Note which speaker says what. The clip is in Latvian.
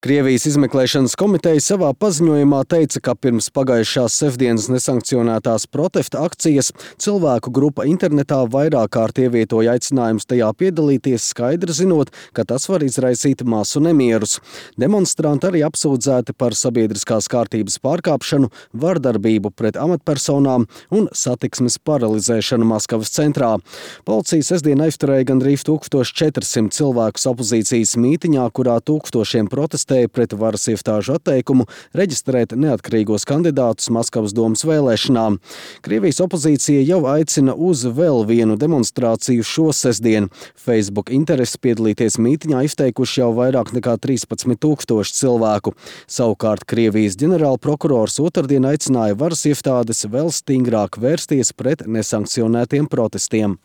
Speaker 1: Krievijas izmeklēšanas komiteja savā paziņojumā teica, ka pirms pagājušās sestdienas nesankcionētās protesta akcijas cilvēku grupa internetā vairāk kārt ievietoja aicinājumus tajā piedalīties, skaidri zinot, ka tas var izraisīt masu nemierus. Demonstranti arī apsūdzēti par sabiedriskās kārtības pārkāpšanu, vardarbību pret amatpersonām un satiksmes paralizēšanu Maskavas centrā. Policija sestdien aizturēja gandrīz 1400 cilvēkus opozīcijas mītiņā, kurā tūkstošiem protestēja pret varas iestāžu atteikumu reģistrēt neatkarīgos kandidātus Maskavas domas vēlēšanām. Krievijas opozīcija jau aicina uz vēl vienu demonstrāciju šo sestdienu. Facebook interesi piedalīties mītiņā izteikuši jau vairāk nekā 13 000 cilvēku. Savukārt Krievijas ģenerālprokurors otrdien aicināja varas iestādes vēl stingrāk vērsties pret nesankcionētiem protestiem.